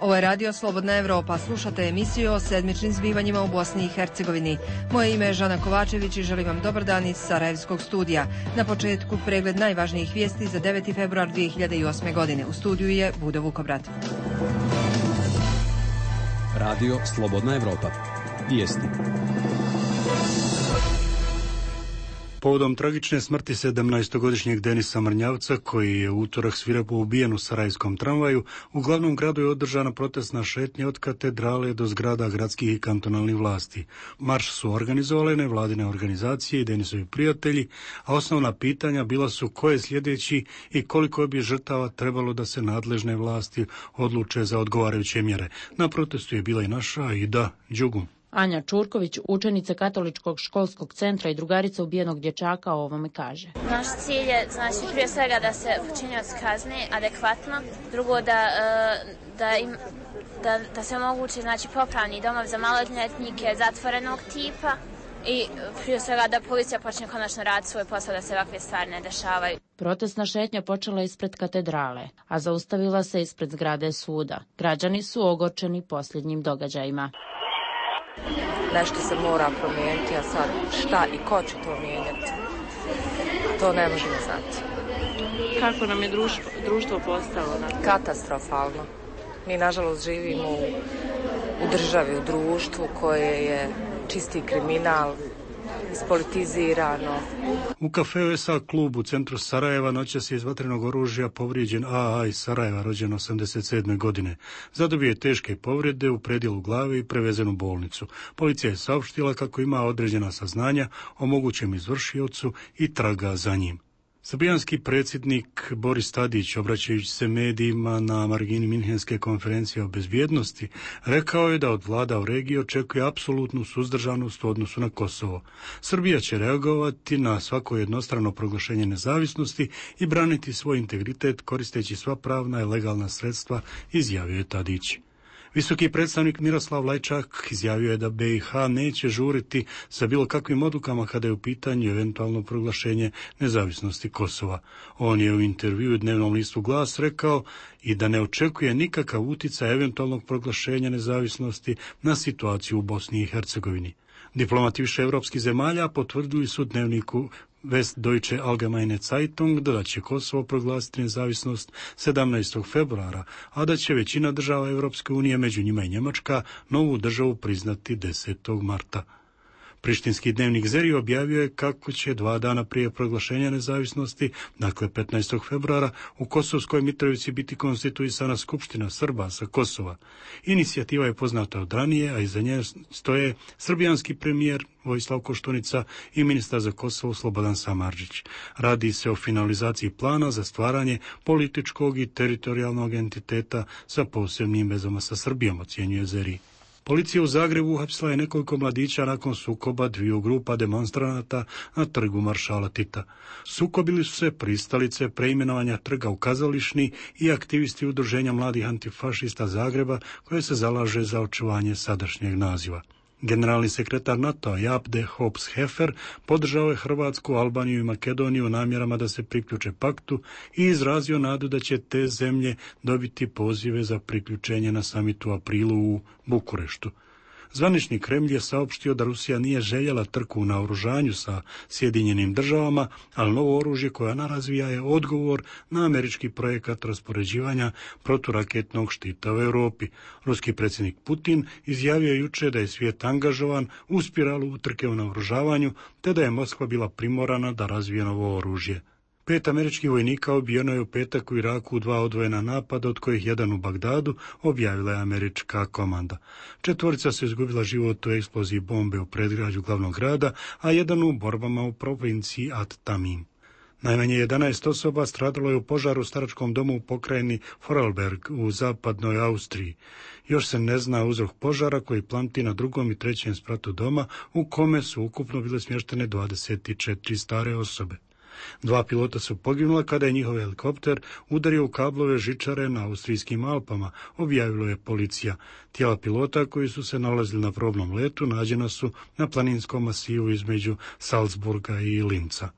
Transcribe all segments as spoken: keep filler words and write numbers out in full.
Ovo je radio Slobodna Evropa. Slušate emisiju o sedmičnim zbivanjima u Bosni i Hercegovini. Moje ime je Žana Kovačević i želim vam dobar dan iz Sarajevskog studija. Na početku pregled najvažnijih vijesti za deveti februar dvije hiljade osme. godine. U studiju je Budo Vukobrat. Radio Slobodna Evropa. Vijesti. Povodom tragične smrti sedamnaestogodišnjeg Denisa Mrnjavca, koji je u utorak svirepo ubijen u sarajevskom tramvaju, u glavnom gradu je održana protestna šetnja od katedrale do zgrada gradskih i kantonalnih vlasti. Marš su organizovale nevladine organizacije i Denisovi prijatelji, a osnovna pitanja bila su ko je sljedeći i koliko bi žrtava trebalo da se nadležne vlasti odluče za odgovarajuće mjere. Na protestu je bila i naša Aida Đugum. Anja Čurković, učenica Katoličkog školskog centra i drugarica ubijenog dječaka, o ovome kaže. Naš cilj je, znači, prije svega da se počinioc kazni adekvatno, drugo da, da, im, da, da se omogući, znači, popravni domov za maloljetnike zatvorenog tipa i prije svega da policija počne konačno raditi svoj posao, da se ovakve stvari ne dešavaju. Protestna šetnja počela ispred katedrale, a zaustavila se ispred zgrade suda. Građani su ogorčeni posljednjim događajima. Nešto se mora promijeniti, a sad šta i ko će to mijenjati, to ne možemo znati. Kako nam je društvo, društvo postalo? Na... Katastrofalno. Mi, nažalost, živimo u, u državi, u društvu koje je čisti kriminal, ispolitizirano. U kafeu es a klub u centru Sarajeva noćas je iz vatrenog oružja povrijeđen a a iz Sarajeva, rođen osamdeset sedme. godine. Zadobio je teške povrede u predjelu glave i prevezen u bolnicu. Policija je saopštila kako ima određena saznanja o mogućem izvršiocu i traga za njim. Srbijanski predsjednik Boris Tadić, obraćajući se medijima na margini Minhenske konferencije o bezbjednosti, rekao je da od vlada u regiji očekuje apsolutnu suzdržanost u odnosu na Kosovo. Srbija će reagovati na svako jednostrano proglašenje nezavisnosti i braniti svoj integritet koristeći sva pravna i legalna sredstva, izjavio je Tadić. Visoki predstavnik Miroslav Lajčak izjavio je da be i ha neće žuriti sa bilo kakvim odlukama kada je u pitanju eventualno proglašenje nezavisnosti Kosova. On je u intervjuu dnevnom listu Glas rekao i da ne očekuje nikakav uticaj eventualnog proglašenja nezavisnosti na situaciju u Bosni i Hercegovini. Diplomati više evropskih zemalja potvrdili su dnevniku Westdeutsche Allgemeine Zeitung da će Kosovo proglasiti nezavisnost sedamnaestog februara, a da će većina država Evropske unije, među njima i Njemačka, novu državu priznati desetog marta. Prištinski dnevnik Zeri objavio je kako će dva dana prije proglašenja nezavisnosti, dakle petnaestog februara, u Kosovskoj Mitrovici biti konstituisana Skupština Srba sa Kosova. Inicijativa je poznata od ranije, a iza nje stoje srbijanski premijer Vojislav Koštunica i ministar za Kosovo Slobodan Samardžić. Radi se o finalizaciji plana za stvaranje političkog i teritorijalnog entiteta sa posebnim vezama sa Srbijom, ocjenjuje Zeri. Policija u Zagrebu uhapsila je nekoliko mladića nakon sukoba dviju grupa demonstranata na trgu Maršala Tita. Sukobili su se pristalice preimenovanja trga u kazališni i aktivisti udruženja mladih antifašista Zagreba koje se zalaže za očuvanje sadašnjeg naziva. Generalni sekretar NATO-a Jaap de Hoop Scheffer podržao je Hrvatsku, Albaniju i Makedoniju u namjerama da se priključe paktu i izrazio nadu da će te zemlje dobiti pozive za priključenje na samitu u aprilu u Bukureštu. Zvanični Kremlj je saopštio da Rusija nije željela trku u naoružanju sa Sjedinjenim državama, ali novo oružje koje ona razvija je odgovor na američki projekat raspoređivanja proturaketnog štita u Europi. Ruski predsjednik Putin izjavio je juče da je svijet angažovan u spiralu utrke u naoružavanju, te da je Moskva bila primorana da razvije novo oružje. Pet američkih vojnika ubijeno je u petak u Iraku u dva odvojena napada, od kojih jedan u Bagdadu, objavila je američka komanda. Četvorica se izgubila život u eksploziji bombe u predgrađu glavnog grada, a jedan u borbama u provinciji At Tamim. Najmanje jedanaest osoba stradalo je u požaru u staračkom domu u pokrajini Vorarlberg u zapadnoj Austriji. Još se ne zna uzrok požara koji planti na drugom i trećem spratu doma, u kome su ukupno bile smještene dvadeset četiri stare osobe. Dva pilota su poginula kada je njihov helikopter udario u kablove žičare na austrijskim Alpama, objavila je policija. Tijela pilota koji su se nalazili na probnom letu nađena su na planinskom masivu između Salzburga i Linca.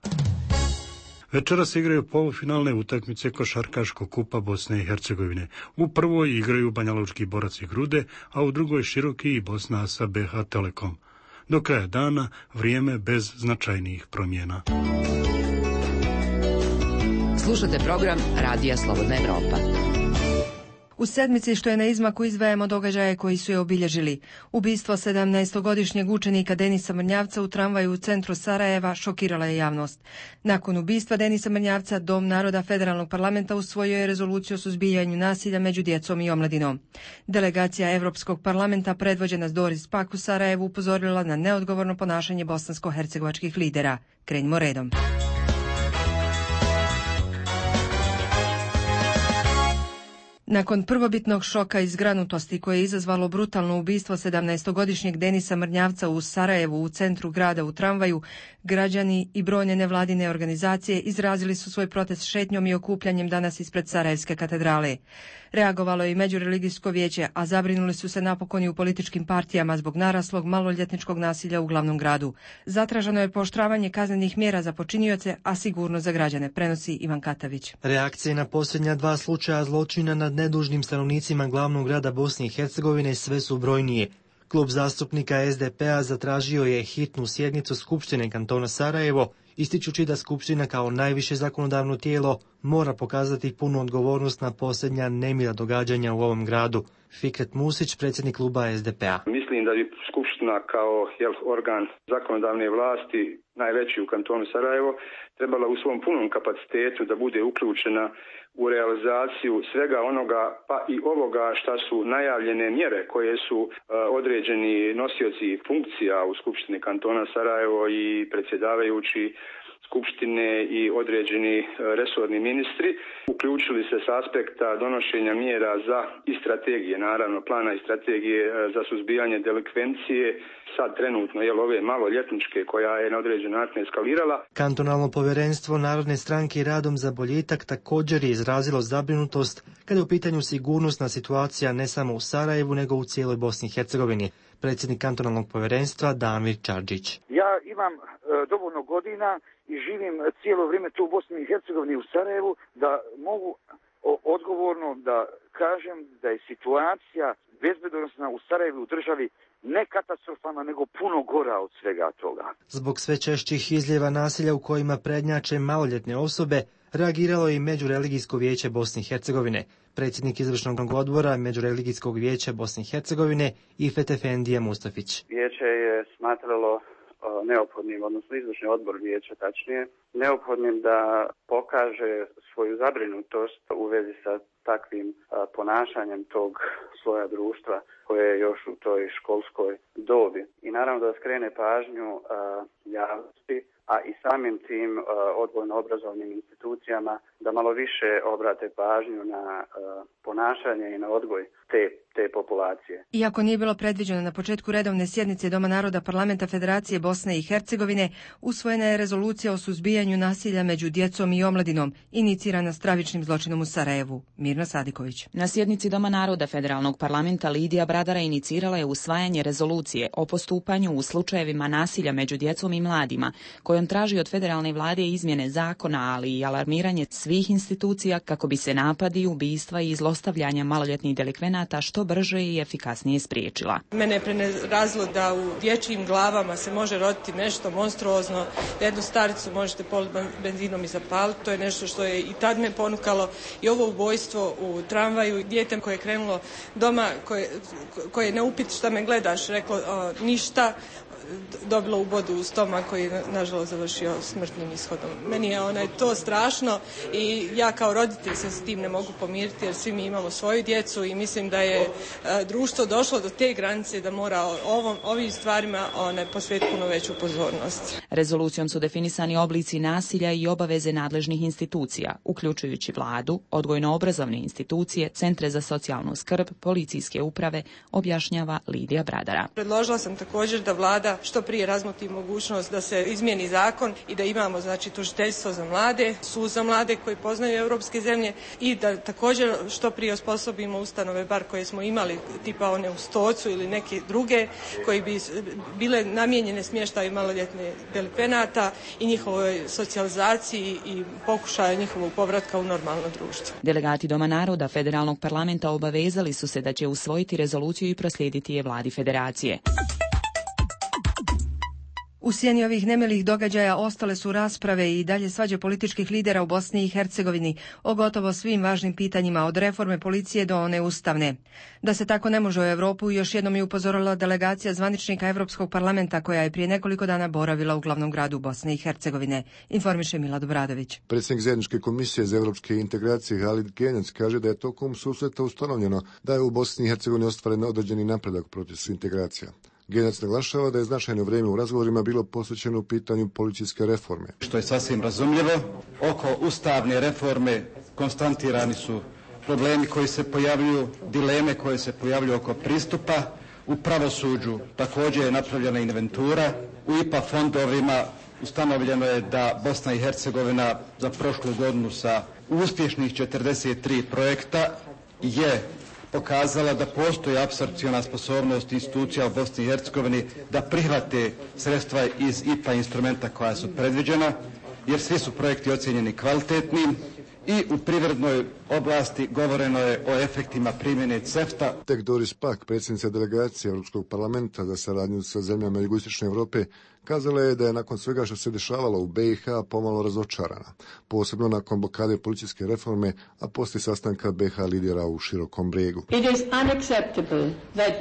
Večeras se igraju polufinalne utakmice košarkaškog kupa Bosne i Hercegovine. U prvoj igraju Banjalučki Borac i Grude, a u drugoj Široki i Bosna sa B H Telekom. Do kraja dana vrijeme bez značajnijih promjena. Slušate program Radija Slobodna Evropa. U sedmici što je na izmaku izdvajamo događaje koji su je obilježili. Ubistvo sedamnaestogodišnjeg učenika Denisa Mrnjavca u tramvaju u centru Sarajeva šokirala je javnost. Nakon ubistva Denisa Mrnjavca, Dom naroda Federalnog parlamenta usvojio je rezoluciju o suzbijanju nasilja među djecom i omladinom. Delegacija Evropskog parlamenta predvođena s Doris Pack u Sarajevu upozorila na neodgovorno ponašanje bosansko-hercegovačkih lidera. Krenimo redom. Nakon prvobitnog šoka i zgranutosti koje je izazvalo brutalno ubistvo sedamnaestogodišnjeg Denisa Mrnjavca u Sarajevu u centru grada u tramvaju, građani i brojne nevladine organizacije izrazili su svoj protest šetnjom i okupljanjem danas ispred Sarajevske katedrale. Reagovalo je i Međureligijsko vijeće, a zabrinuli su se napokon i u političkim partijama zbog naraslog maloljetničkog nasilja u glavnom gradu. Zatraženo je pooštravanje kaznenih mjera za počinioce, a sigurno za građane, prenosi Ivan Katavić. Reakcije na posljednja dva slučaja zločina nad nedužnim stanovnicima glavnog grada Bosne i Hercegovine sve su brojnije. Klub zastupnika S D P-a zatražio je hitnu sjednicu Skupštine kantona Sarajevo, ističući da Skupština kao najviše zakonodavno tijelo mora pokazati punu odgovornost na posljednja nemila događanja u ovom gradu. Fikret Musić, predsjednik kluba S D P-a. Mislim da bi Skupština kao jel, organ zakonodavne vlasti, najveći u kantonu Sarajevo, trebala u svom punom kapacitetu da bude uključena u realizaciju svega onoga, pa i ovoga šta su najavljene mjere koje su uh, određeni nosioci funkcija u Skupštini kantona Sarajevo i predsjedavajući Skupštine i određeni resorni ministri uključili se s aspekta donošenja mjera za i strategije, naravno plana i strategije za suzbijanje delikvencije, sad trenutno je ove maloljetničke koja je na određen način eskalirala. Kantonalno povjerenstvo Narodne stranke Radom za boljitak također je izrazilo zabrinutost kada je u pitanju sigurnosna situacija ne samo u Sarajevu nego u cijeloj Bosni i Hercegovini. Predsjednik kantonalnog povjerenstva Damir Čarđić. Ja imam e, dovoljno godina i živim cijelo vrijeme tu u Bosni i Hercegovini u Sarajevu da mogu o, odgovorno da kažem da je situacija bezbednosna u Sarajevu u državi ne katastrofalna, nego puno gora od svega toga. Zbog sve češćih izljeva nasilja u kojima prednjače maloljetne osobe, reagiralo je i Međureligijsko vijeće Bosne i Hercegovine. Predsjednik izvršnog odbora Međureligijskog vijeća Bosne i Hercegovine Ifet Efendija Mustafić. Vijeće je smatralo neophodnim, odnosno izvršni odbor vijeća tačnije, neophodnim da pokaže svoju zabrinutost u vezi sa takvim a, ponašanjem tog sloja društva koje je još u toj školskoj dobi. I naravno da skrene pažnju a, javnosti, a i samim tim a, odgojno-obrazovnim institucijama da malo više obrate pažnju na a, ponašanje i na odgoj te te populacije. Iako nije bilo predviđeno na početku redovne sjednice Doma naroda Parlamenta Federacije Bosne i Hercegovine, usvojena je rezolucija o suzbijanju nasilja među djecom i omladinom, inicirana stravičnim zločinom u Sarajevu. Mirna Sadiković. Na sjednici Doma naroda Federalnog parlamenta Lidija Bradara inicirala je usvajanje rezolucije o postupanju u slučajevima nasilja među djecom i mladima, kojom traži od federalne vlade izmjene zakona, ali i alarmiranje svih institucija kako bi se napadi, ubistva i zlostavljanja maloljetnih delikvenata što brže i efikasnije spriječila. Mene je prenerazilo da u dječjim glavama se može roditi nešto monstruozno, da jednu staricu možete politi benzinom i zapaliti, to je nešto što je i tad me ponukalo, i ovo ubojstvo u tramvaju, dijete koje je krenulo doma, koje, koje ne upit šta me gledaš, reklo o, ništa, dobilo ubodu u stomak koji je nažalost završio smrtnim ishodom. Meni je onaj to strašno i ja kao roditelj se s tim ne mogu pomiriti jer svi mi imamo svoju djecu i mislim da je e, društvo došlo do te granice da mora ovom, ovim stvarima one, posvetiti puno veću pozornost. Rezolucijom su definisani oblici nasilja i obaveze nadležnih institucija, uključujući vladu, odgojno-obrazovne institucije, centre za socijalnu skrb, policijske uprave, objašnjava Lidija Bradara. Predložila sam također da vlada što prije razmotri mogućnost da se izmijeni zakon i da imamo znači tužiteljstvo za mlade, sud za mlade koji poznaju europske zemlje i da također što prije osposobimo ustanove bar koje smo imali tipa one u Stocu ili neke druge koji bi bile namijenjene smještaju maloljetne delikvenata i njihovoj socijalizaciji i pokušaju njihovog povratka u normalno društvo. Delegati Doma naroda Federalnog parlamenta obavezali su se da će usvojiti rezoluciju i proslijediti je vladi federacije. U sjeni ovih nemilih događaja ostale su rasprave i dalje svađe političkih lidera u Bosni i Hercegovini o gotovo svim važnim pitanjima, od reforme policije do one ustavne. Da se tako ne može u Europu, još jednom je upozorila delegacija zvaničnika Europskog parlamenta koja je prije nekoliko dana boravila u glavnom gradu Bosne i Hercegovine, informiše Milad Obradović. Predsjednik zajedničke komisije za europske integracije Halid Genjac kaže da je tokom susreta ustanovljeno da je u Bosni i Hercegovini ostvaren određeni napredak u procesu integracija. Genjac naglašava da je značajno vrijeme u razgovorima bilo posvećeno u pitanju policijske reforme. Što je sasvim razumljivo, oko ustavne reforme konstantirani su problemi koji se pojavljuju, dileme koje se pojavljuju oko pristupa. U pravosuđu također je napravljena inventura. U I P A fondovima ustanovljeno je da Bosna i Hercegovina za prošlu godinu sa uspješnih četrdeset tri projekta je pokazala da postoji apsorpciona sposobnost institucija u Bosni i Hercegovini da prihvate sredstva iz I P A instrumenta koja su predviđena, jer svi su projekti ocjenjeni kvalitetnim i u privrednoj oblasti govoreno je o efektima primjene CEFTA. Tek Doris Pack, predsjednica delegacije Europskog parlamenta za saradnju sa zemljama jugoistočne Europe, kazala je da je nakon svega što se dešavalo u B i H pomalo razočarana, posebno nakon blokade policijske reforme, a poslije sastanka B i H lidera u Širokom Bregu. It is unacceptable that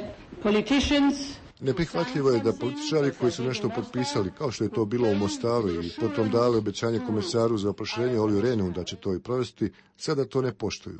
politicians Neprihvatljivo je da političari koji su nešto potpisali, kao što je to bilo u Mostaru i potom dali obećanje komisaru za proširenje Oliju Rehnu da će to i provesti, sada to ne poštuju.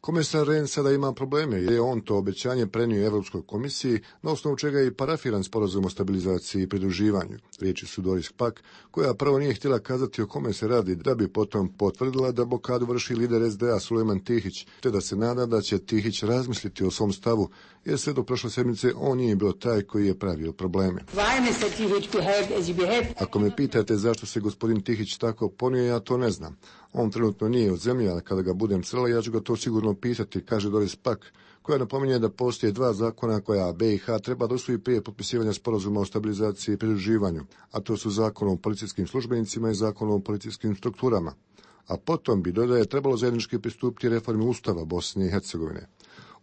Komisar Rehn sada ima probleme jer je on to obećanje prenio Europskoj komisiji, na osnovu čega je i parafiran sporazum o stabilizaciji i pridruživanju. Riječi su Doris Pack, koja prvo nije htjela kazati o kome se radi, da bi potom potvrdila da blokadu vrši lider S D A Sulejman Tihić, te da se nada da će Tihić razmisliti o svom stavu, jer sve do prošle sedmice on nije bio taj koji je pravio probleme. Ako me pitate zašto se gospodin Tihić tako ponio, ja to ne znam. On trenutno nije u zemlji, ali kada ga budem srela, ja ću ga to sigurno pisati, kaže Doris Pack, koja napominje da postoje dva zakona koja B i H treba da usvoji prije potpisivanja sporazuma o stabilizaciji i pridruživanju, a to su zakon o policijskim službenicima i zakon o policijskim strukturama. A potom bi, dodaje, trebalo zajednički pristupiti reformi Ustava Bosne i Hercegovine.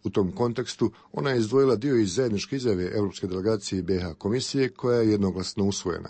U tom kontekstu ona je izdvojila dio iz zajedničke izjave Europske delegacije i B i H komisije koja je jednoglasno usvojena.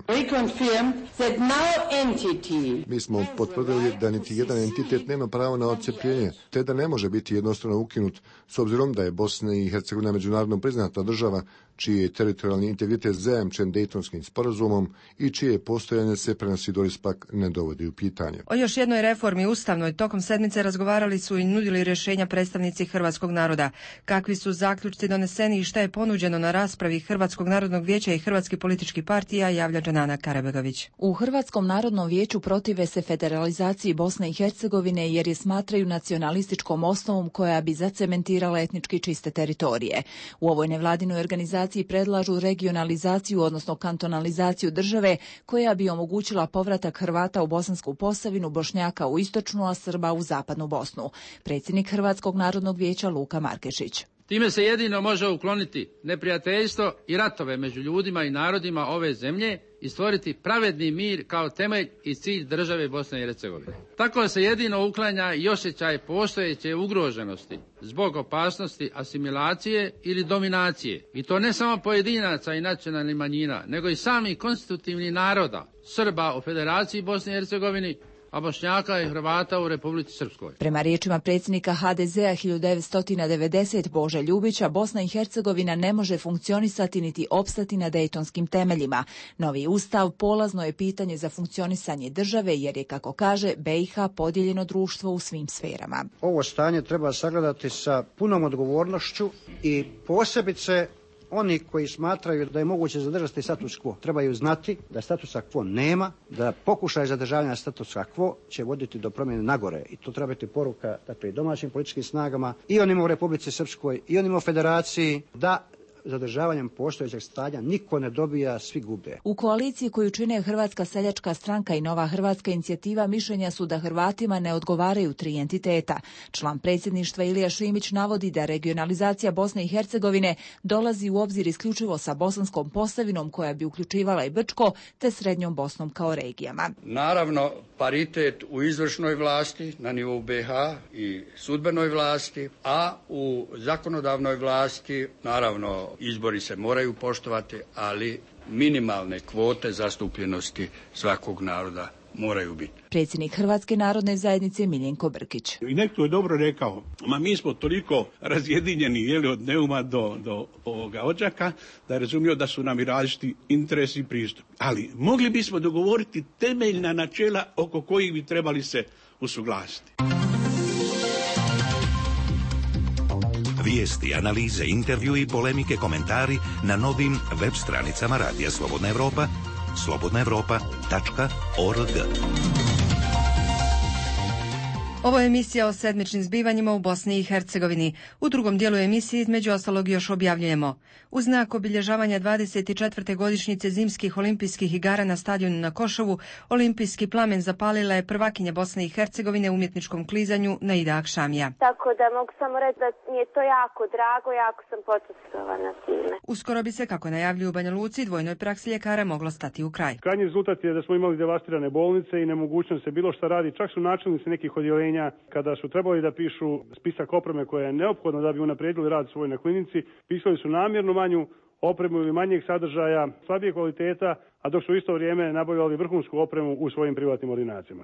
Mi smo potvrdili da niti jedan entitet nema pravo na odcepljenje, te da ne može biti jednostrano ukinut, s obzirom da je Bosna i Hercegovina međunarodno priznata država, čiji je teritorijalni integritet zajamčen Dejtonskim sporazumom i čije postojanje se, prenosi Doris Pack, ne dovodi u pitanje. O još jednoj reformi ustavnoj tokom sedmice razgovarali su i nudili rješenja predstavnici hrvatskog naroda. Kakvi su zaključci doneseni i šta je ponuđeno na raspravi Hrvatskog narodnog vijeća i hrvatskih političkih partija, javlja Džanana Karabegović. U Hrvatskom narodnom vijeću protive se federalizaciji Bosne i Hercegovine jer je smatraju nacionalističkom osnovom koja bi zacementirala etnički čiste teritorije. U ovoj nevladinoj organizaciji predlažu regionalizaciju, odnosno kantonalizaciju države koja bi omogućila povratak Hrvata u Bosansku Posavinu, Bošnjaka u istočnu, a Srba u zapadnu Bosnu. Predsjednik Hrvatskog narodnog vijeća Luka Markešić. Time se jedino može ukloniti neprijateljstvo i ratove među ljudima i narodima ove zemlje i stvoriti pravedni mir kao temelj i cilj države Bosne i Hercegovine. Tako se jedino uklanja i osjećaj postojeće ugroženosti zbog opasnosti asimilacije ili dominacije. I to ne samo pojedinaca i nacionalnih manjina, nego i samih konstitutivnih naroda, Srba u Federaciji Bosne i Hercegovine, a Bošnjaka i Hrvata u Republici Srpskoj. Prema riječima predsjednika H D Z-a hiljadu devetsto devedesete Bože Ljubića, Bosna i Hercegovina ne može funkcionisati niti opstati na dejtonskim temeljima. Novi ustav polazno je pitanje za funkcionisanje države jer je, kako kaže, B i H podijeljeno društvo u svim sferama. Ovo stanje treba sagledati sa punom odgovornošću i posebice oni koji smatraju da je moguće zadržati status quo trebaju znati da statusa quo nema, da pokušaj zadržavanja statusa quo će voditi do promjene nagore i to treba biti poruka dakle, i domaćim političkim snagama i onima u Republici Srpskoj i onima u Federaciji da zadržavanjem postojećeg stanja niko ne dobija, svi gube. U koaliciji koju čine Hrvatska seljačka stranka i Nova hrvatska inicijativa mišljenja su da Hrvatima ne odgovaraju tri entiteta. Član predsjedništva Ilija Šimić navodi da regionalizacija Bosne i Hercegovine dolazi u obzir isključivo sa Bosanskom Postavinom koja bi uključivala i Brčko te Srednjom Bosnom kao regijama. Naravno, paritet u izvršnoj vlasti na nivou be ha i sudbenoj vlasti, a u zakonodavnoj vlasti naravno izbori se moraju poštovati, ali minimalne kvote zastupljenosti svakog naroda moraju biti. Predsjednik Hrvatske narodne zajednice Miljenko Brkić. I netko je dobro rekao, ma mi smo toliko razjedinjeni jeli, od Neuma do, do ovoga Odžaka, da je razumio da su nam i različiti interesi i pristup. Ali mogli bismo dogovoriti temeljna načela oko kojih bi trebali se usuglasiti. Vijesti, analize, intervju i polemike, komentari na novim web stranicama Radija Slobodna Evropa, slobodna evropa tačka org. Ovo je emisija o sedmičnim zbivanjima u Bosni i Hercegovini. U drugom dijelu emisije između ostalog još objavljujemo. U znak obilježavanja dvadeset četvrte godišnjice zimskih olimpijskih igara na stadionu na Košovu, olimpijski plamen zapalila je prvakinja Bosne i Hercegovine u umjetničkom klizanju Naida Akšamija. Tako da mogu samo reći da mi je to jako drago, jako sam počastvovana time. Uskoro bi se, kako najavljuju u Banja Luci, dvojnoj praksi ljekara moglo stati u kraj. Krajnji rezultat je da smo imali devastirane bolnice i nemogućnost se bilo šta radi. Čak su načelnici nekih odjeljenja kada su trebali da pišu spisak opreme koja je neophodna da bi unaprijedili rad svoj na klinici, pisali su namjerno manju opremu ili manjeg sadržaja, slabije kvaliteta, a dok su u isto vrijeme nabavljali vrhunsku opremu u svojim privatnim ordinacijama.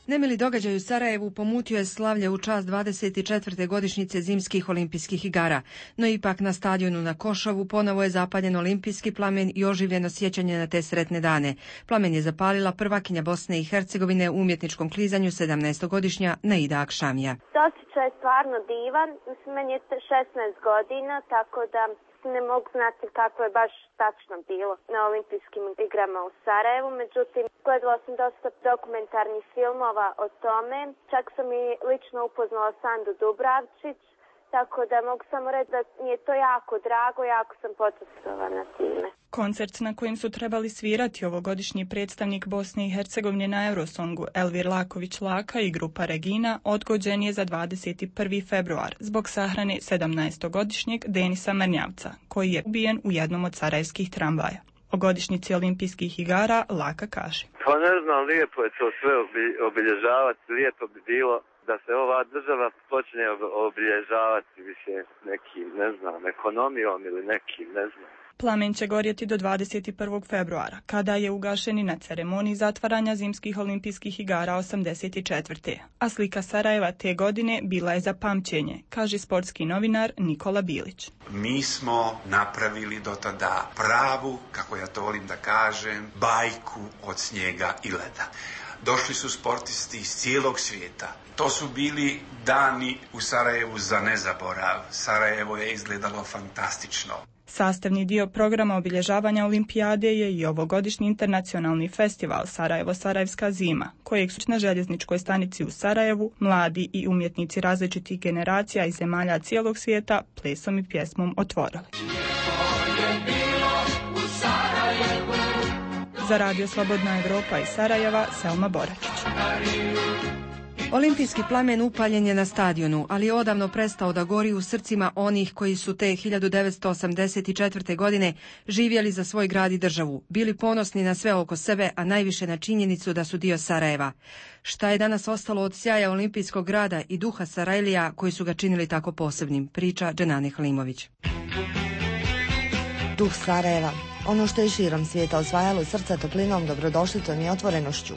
Nemili događaj u Sarajevu pomutio je slavlje u čast dvadeset četvrte godišnjice zimskih olimpijskih igara, no ipak na stadionu na Košovu ponovo je zapaljen olimpijski plamen i oživljeno sjećanje na te sretne dane. Plamen je zapalila prvakinja Bosne i Hercegovine u umjetničkom klizanju sedamnaestogodišnja Naida Akšamija. Osjećaj je stvarno divan, mislim, meni je šesnaest godina, tako da ne mogu znati kako je baš tačno bilo na olimpijskim igrama u Sarajevu, međutim, gledala sam dosta dokumentarnih filmova o tome, čak sam i lično upoznala Sandu Dubravčić, tako da mogu samo reći da mi je to jako drago, jako sam počastvovana time. Koncert na kojem su trebali svirati ovogodišnji predstavnik Bosne i Hercegovine na Eurosongu Elvir Laković Laka i grupa Regina odgođen je za dvadeset prvi februar zbog sahrane sedamnaestogodišnjeg Denisa Mrnjavca, koji je ubijen u jednom od sarajevskih tramvaja. O godišnjici olimpijskih igara Laka kaže. Pa ne znam, lijepo je to sve obilježavati, lijepo bi bilo da se ova država počne obilježavati više nekim, ne znam, ekonomijom ili nekim, ne znam. Plamen će gorjeti do dvadeset prvog februara, kada je ugašen i na ceremoniji zatvaranja zimskih olimpijskih igara osamdeset četvrte. A slika Sarajeva te godine bila je za pamćenje, kaže sportski novinar Nikola Bilić. Mi smo napravili do tada pravu, kako ja to volim da kažem, bajku od snijega i leda. Došli su sportisti iz cijelog svijeta. To su bili dani u Sarajevu za nezaborav. Sarajevo je izgledalo fantastično. Sastavni dio programa obilježavanja olimpijade je i ovogodišnji internacionalni festival Sarajevo-Sarajevska zima, kojeg su na željezničkoj stanici u Sarajevu mladi i umjetnici različitih generacija i zemalja cijelog svijeta plesom i pjesmom otvorili. Za Radio Slobodna Evropa iz Sarajeva, Selma Boračić. Olimpijski plamen upaljen je na stadionu, ali je odavno prestao da gori u srcima onih koji su te hiljadu devetsto osamdeset četvrte. godine živjeli za svoj grad i državu, bili ponosni na sve oko sebe, a najviše na činjenicu da su dio Sarajeva. Šta je danas ostalo od sjaja olimpijskog grada i duha Sarajlija koji su ga činili tako posebnim, priča Dženane Halimović. Duh Sarajeva, ono što je širom svijeta osvajalo srca toplinom, dobrodošlicom i otvorenošću.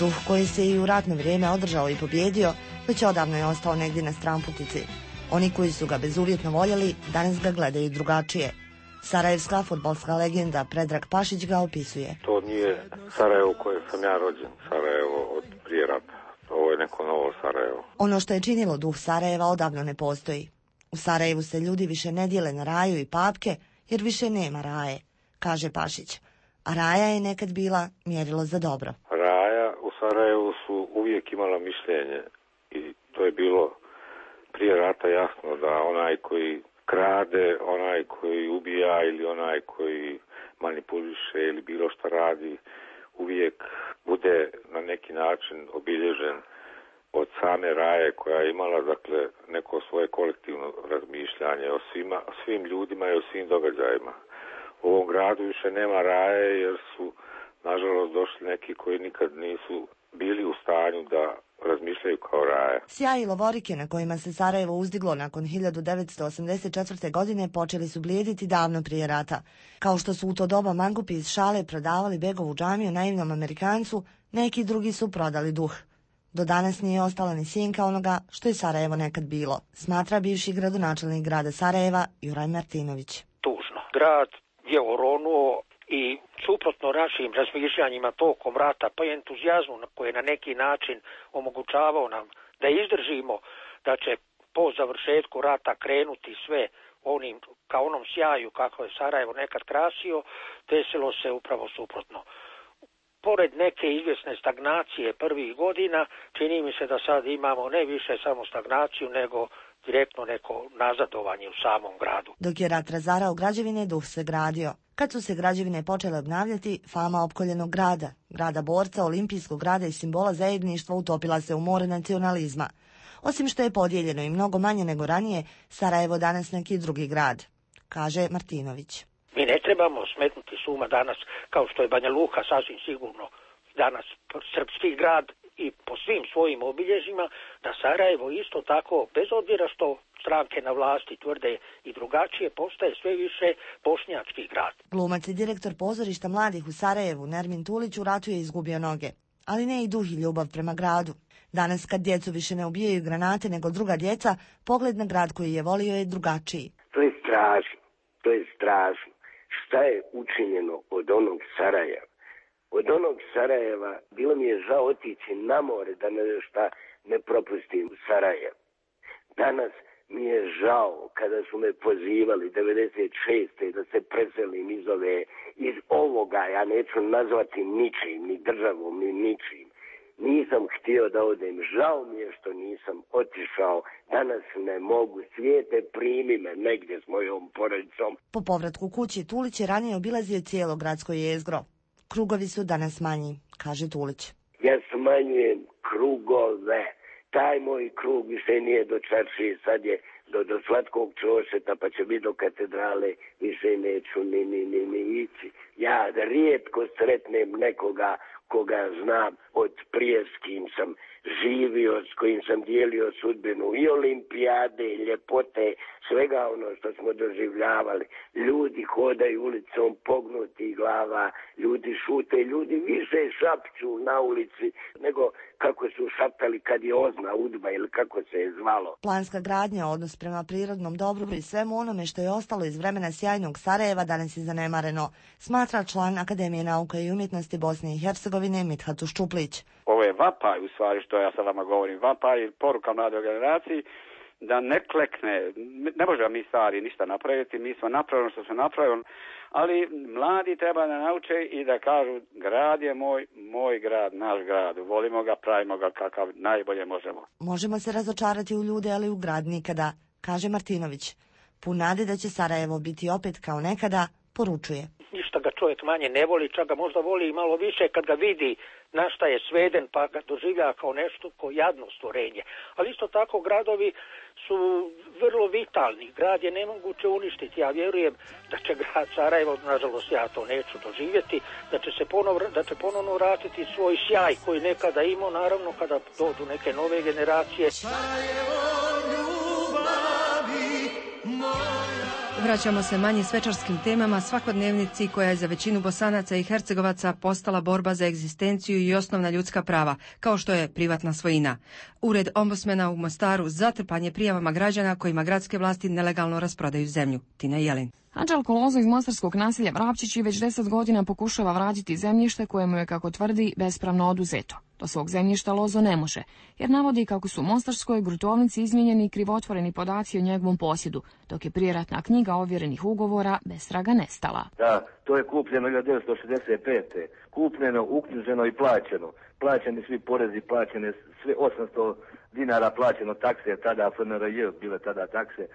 Duh koji se i u ratno vrijeme održao i pobjedio, već odavno je ostao negdje na stranputici. Oni koji su ga bezuvjetno voljeli, danas ga gledaju drugačije. Sarajevska fudbalska legenda Predrag Pašić ga opisuje. To nije Sarajevo u kojem sam ja rođen, Sarajevo od prije rata. Ovo je neko novo Sarajevo. Ono što je činilo duh Sarajeva odavno ne postoji. U Sarajevu se ljudi više ne dijele na raju i papke, jer više nema raje, kaže Pašić. A raja je nekad bila mjerilo za dobro. Raja u Sarajevu su uvijek imala mišljenje i to je bilo prije rata jasno da onaj koji krade, onaj koji ubija ili onaj koji manipuliše ili bilo što radi, uvijek bude na neki način obilježen od same Raje koja je imala dakle neko svoje kolektivno razmišljanje o svima, o svim ljudima i o svim događajima. U ovom gradu više nema Raje jer su nažalost došli neki koji nikad nisu bili u stanju da razmišljaju kao Raja. Sjaj i lovorike na kojima se Sarajevo uzdiglo nakon hiljadu devetsto osamdeset četvrte. godine počeli su blijediti davno prije rata. Kao što su u to doba mangupi iz šale prodavali Begovu džamiju naivnom Amerikancu, neki drugi su prodali duh. Do danas nije ostala ni sjenka onoga što je Sarajevo nekad bilo, smatra bivši gradonačelnik grada Sarajeva Juraj Martinović. Tužno. Grad je oronuo i suprotno našim razmišljanjima tokom rata, pa i entuzijazmu koji je na neki način omogućavao nam da izdržimo da će po završetku rata krenuti sve onim, kao onom sjaju kako je Sarajevo nekad krasio, desilo se upravo suprotno. Pored neke izvjesne stagnacije prvih godina, čini mi se da sad imamo ne više samo stagnaciju, nego direktno neko nazadovanje u samom gradu. Dok je rat razarao građevine, duh se gradio. Kad su se građevine počele obnavljati, fama opkoljenog grada, grada borca, olimpijskog grada i simbola zajedništva utopila se u more nacionalizma. Osim što je podijeljeno i mnogo manje nego ranije, Sarajevo danas neki drugi grad, kaže Martinović. Mi ne trebamo smetnuti suma danas, kao što je Banja Luka sasvim sigurno danas srpski grad i po svim svojim obilježjima, da Sarajevo isto tako, bez obzira što stranke na vlasti tvrde i drugačije, postaje sve više bošnjački grad. Glumac i direktor pozorišta mladih u Sarajevu, Nermin Tulić, u ratu je izgubio noge, ali ne i duh i ljubav prema gradu. Danas kad djecu više ne ubijaju granate nego druga djeca, pogled na grad koji je volio je drugačiji. To je strašno, to je strašno. Šta je učinjeno od onog Sarajeva? Od onog Sarajeva bilo mi je žao otići na more da ne šta ne propustim u Sarajevo. Danas mi je žao kada su me pozivali devedeset šeste da se preselim iz ove, iz ovoga, ja neću nazvati ničim, ni državom, ni ničim. Nisam htio da odem, žao mi je što nisam otišao, danas ne mogu, svijete primi me negdje s mojom porodicom. Po povratku kući Tulić je ranije obilazio cijelo gradsko jezgro. Krugovi su danas manji, kaže Tulić. Ja smanjujem krugove, taj moj krug više nije do Čaršije, sad je do, do Slatkog Čošeta, pa će biti do katedrale, više neću ni, ni, ni, ni ići. Ja rijetko sretnem nekoga koga znam od prije s kim sam živio, s kojim sam dijelio sudbinu i olimpijade, i ljepote, svega ono što smo doživljavali. Ljudi hodaju ulicom pognuti glava, ljudi šute, ljudi više šapću na ulici nego kako su šaptali kad je Ozna Udba ili kako se je zvalo. Planska gradnja, odnos prema prirodnom dobru i svemu onome što je ostalo iz vremena sjajnog Sarajeva danas je zanemareno, smatra član Akademije nauka i umjetnosti Bosne i Hercegovine Mithat Ščuplić. Ovo je vapaj u stvari što ja sad vama govorim, vapaj i poruka mladoj generaciji da ne klekne, ne možemo mi stari ništa napraviti, mi smo napravili što smo napravili, ali mladi treba da nauče i da kažu grad je moj, moj grad, naš grad, volimo ga, pravimo ga kakav najbolje možemo. Možemo se razočarati u ljude, ali u grad nikada, kaže Martinović. Pun nade da će Sarajevo biti opet kao nekada, poručuje. Ništa ga čovjek manje ne voli, čak ga možda voli i malo više kad ga vidi na šta je sveden, pa ga doživlja kao nešto ko jadno stvorenje. Ali isto tako gradovi su vrlo vitalni. Grad je nemoguće uništiti. Ja vjerujem da će grad Sarajevo, nažalost ja to neću doživjeti, da će se ponovno, da će ponovno vratiti svoj sjaj koji nekada imao, naravno kada dođu neke nove generacije. Sarajevo, ljubavi moja. Vraćamo se manje svečarskim temama, svakodnevnici koja je za većinu Bosanaca i Hercegovaca postala borba za egzistenciju i osnovna ljudska prava, kao što je privatna svojina. Ured ombudsmana u Mostaru zatrpan je prijavama građana kojima gradske vlasti nelegalno rasprodaju zemlju. Tina Jelin. Anđelko Lozo iz mostarskog naselja Vrapčići već deset godina pokušava vratiti zemljište koje mu je, kako tvrdi, bespravno oduzeto. Do svog zemljišta Lozo ne može, jer navodi kako su u mostarskoj gruntovnici izmijenjeni krivotvoreni podaci o njegovom posjedu, dok je prijeratna knjiga ovjerenih ugovora bez traga nestala. Da, to je kupljeno hiljadu devetsto šezdeset pete. Kupljeno, uknjiženo i plaćeno. Plaćeni svi porezi, plaćene sve osamsto dinara plaćeno takse, tada F N R J bile tada takse.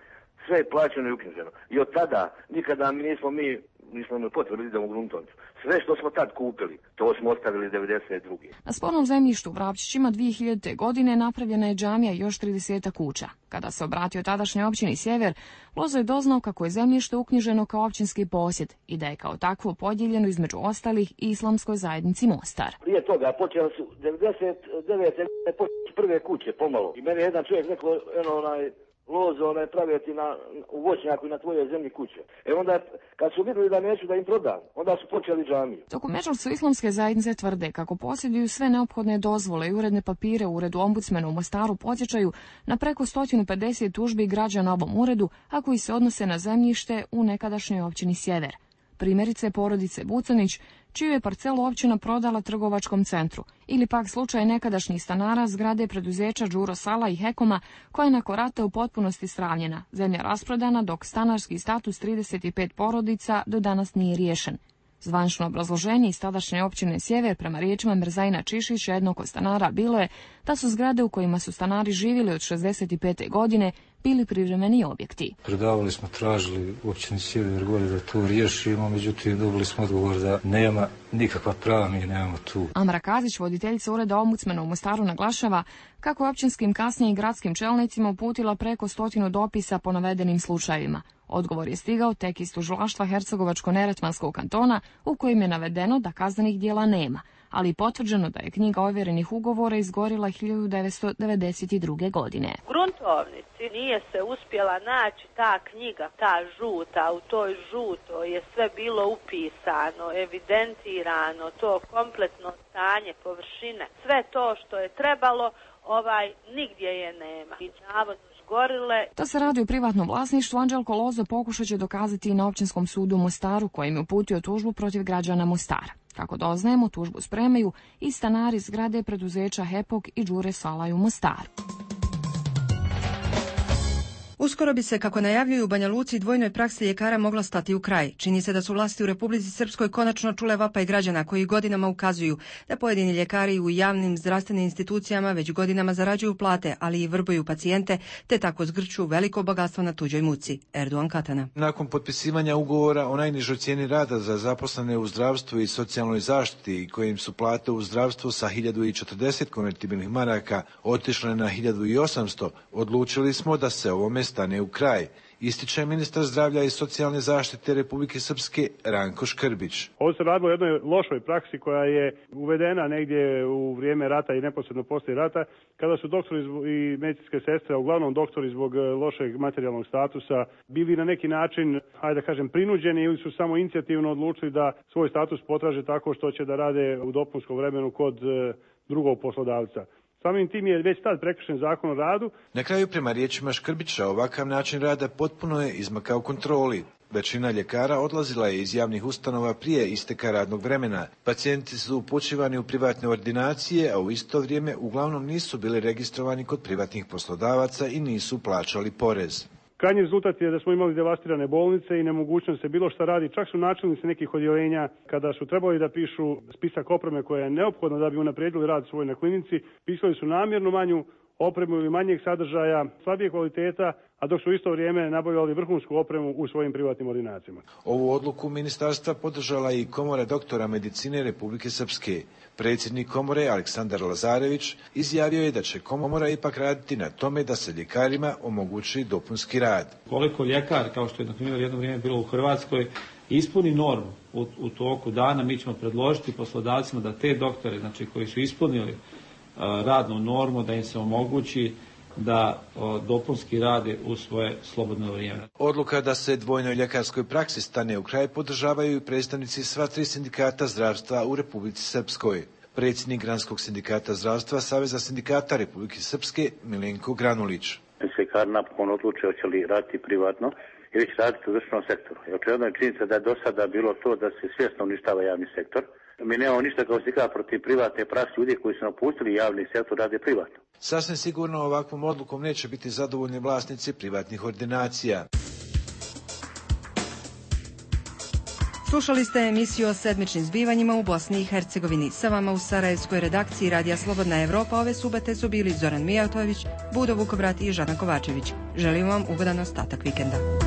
Sve je plaćeno i uknjiženo. I od tada nikada mi nismo mi nismo imali potrebu da idemo u gruntovnicu. Sve što smo tad kupili, to smo ostavili devedeset druge. Na spornom zemljištu u Vrapčićima dvije hiljadite. godine napravljena je džamija i još trideset kuća. Kada se obratio tadašnjoj općini Sjever, Lozo je doznao kako je zemljište uknjiženo kao općinski posjed i da je kao takvo podijeljeno između ostalih i islamskoj zajednici Mostar. Prije toga počeli su devedeset devete. počeli prve kuće pomalo. I meni je jedan čovjek rekao, eno onaj, Lozo, onaj, praviti na, u voćnjaku i na tvojoj zemlji kuće. E onda, kad su vidjeli da neću da im prodam, onda su počeli džamiju. Dok u Međurcu islamske zajednice tvrde kako posjeduju sve neophodne dozvole i uredne papire u uredu ombudsmena u Mostaru podsjećaju na preko sto pedeset tužbi građana ovom uredu, a koji se odnose na zemljište u nekadašnjoj općini Sjever. Primjerice porodice Bucanić, čiju je parcelu općina prodala trgovačkom centru, ili pak slučaj nekadašnjih stanara zgrade preduzeća Đuro Sala i Hekoma, koja je nakon rata u potpunosti stravljena, zemlja rasprodana, dok stanarski status trideset pet porodica do danas nije riješen. Zvančno obrazloženje iz tadašnje općine Sjever prema riječima Mirzajina Čišića, jednog od stanara, bilo je da su zgrade u kojima su stanari živjeli od šezdeset pete. godine bili privremeni objekti. Predavali smo, tražili u općini Sjever gore da to riješimo, međutim dobili smo odgovor da nema nikakva prava, mi nemamo tu. Amra Kazić, voditeljica ureda ombudsmena u Mostaru, naglašava kako je općinskim, kasnije i gradskim čelnicima uputila preko stotinu dopisa po navedenim slučajevima. Odgovor je stigao tek iz tužilaštva Hercegovačko-Neretvanskog kantona, u kojim je navedeno da kaznenih djela nema, ali potvrđeno da je knjiga ovjerenih ugovora izgorila hiljadu devetsto devedeset druge. godine. U gruntovnici nije se uspjela naći ta knjiga, ta žuta, u toj žutoj je sve bilo upisano, evidentirano, to kompletno stanje površine, sve to što je trebalo, ovaj, nigdje je nema. I navodno gorile. Da se radi o privatnom vlasništvu, Anđelko Lozo pokušat će dokazati i na općinskom sudu u Mostaru, kojim je uputio tužbu protiv građana Mostara. Kako doznajemo, tužbu spremaju i stanari zgrade preduzeća Hepok i Đure Salaj u Mostaru. Uskoro bi se, kako najavljuju u Banja Luci, dvojnoj praksi ljekara mogla stati u kraj. Čini se da su vlasti u Republici Srpskoj konačno čule vapaj građana koji godinama ukazuju da pojedini ljekari u javnim zdravstvenim institucijama već godinama zarađuju plate, ali i vrbuju pacijente, te tako zgrču veliko bogatstvo na tuđoj muci. Erdogan Katana. Nakon potpisivanja ugovora o najnižoj cijeni rada za zaposlene u zdravstvu i socijalnoj zaštiti, kojim su plate u zdravstvu sa hiljadu četrdeset konvertibilnih maraka otišle na hiljadu osamsto, odlučili smo da se ovome stane u kraj, ističe ministar zdravlja i socijalne zaštite Republike Srpske Ranko Škrbić. Ovo se radilo o jednoj lošoj praksi koja je uvedena negdje u vrijeme rata i neposredno poslije rata, kada su doktori i medicinske sestre, a uglavnom doktori zbog lošeg materijalnog statusa, bili na neki način, hajde da kažem, prinuđeni ili su samo inicijativno odlučili da svoj status potraže tako što će da rade u dopunskom vremenu kod drugog poslodavca. Samim tim je već tad prekršen zakon o radu. Na kraju, prema riječima Škrbića, ovakav način rada potpuno je izmakao kontroli. Većina ljekara odlazila je iz javnih ustanova prije isteka radnog vremena. Pacijenti su upućivani u privatne ordinacije, a u isto vrijeme uglavnom nisu bili registrovani kod privatnih poslodavaca i nisu plaćali porez. Krajnji rezultat je da smo imali devastirane bolnice i nemogućnost se bilo šta radi. Čak su načelnici nekih odjeljenja, kada su trebali da pišu spisak opreme koja je neophodna da bi unaprijedili rad svoj na klinici, pisali su namjerno manju opremu ili manjeg sadržaja, slabije kvaliteta, a dok su u isto vrijeme nabavljali vrhunsku opremu u svojim privatnim ordinacijama. Ovu odluku ministarstva podržala i Komora doktora medicine Republike Srpske. Predsjednik komore Aleksandar Lazarević izjavio je da će komora ipak raditi na tome da se ljekarima omogući dopunski rad. Koliko ljekar, kao što je na primjer jedno vrijeme bilo u Hrvatskoj, ispuni normu u, u toku dana, mi ćemo predložiti poslodavcima da te doktore, znači koji su ispunili uh, radnu normu, da im se omogući da o, dopunski rade u svoje slobodno vrijeme. Odluka da se dvojnoj ljekarskoj praksi stane u kraj podržavaju i predstavnici sva tri sindikata zdravstva u Republici Srpskoj. Predsjednik Granskog sindikata zdravstva Saveza sindikata Republike Srpske Milenko Granulić. Ljekar napokon odluče hoće li raditi privatno ili će raditi u državnom sektoru. Očigledno je činjenica da je do sada bilo to da se svjesno uništava javni sektor. Mi nemamo ništa kao sindikat protiv privatne prakse, ljudi koji su napustili javni sektor rade privatno. Sasvim sigurno ovakvom odlukom neće biti zadovoljni vlasnici privatnih ordinacija. Slušali ste emisiju o sedmičnim zbivanjima u Bosni i Hercegovini. Sa vama u Sarajevskoj redakciji Radija Slobodna Evropa ove subote su bili Zoran Mijatović, Budo Vukobrat i Žana Kovačević. Želim vam ugodan ostatak vikenda.